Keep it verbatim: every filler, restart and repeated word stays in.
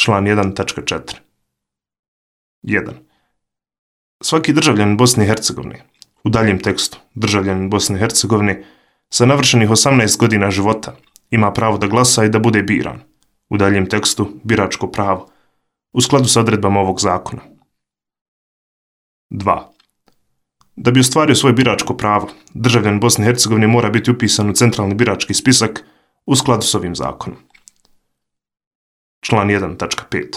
Član jedan tačka četiri. jedan. Svaki državljanin Bosne i Hercegovine, u daljem tekstu državljanin Bosne i Hercegovine, sa navršenih osamnaest godina života ima pravo da glasa i da bude biran, u daljem tekstu biračko pravo, u skladu sa odredbama ovog zakona. dva. Da bi ostvario svoje biračko pravo, državljanin Bosne i Hercegovine mora biti upisan u centralni birački spisak u skladu s ovim zakonom. Član jedan tačka pet.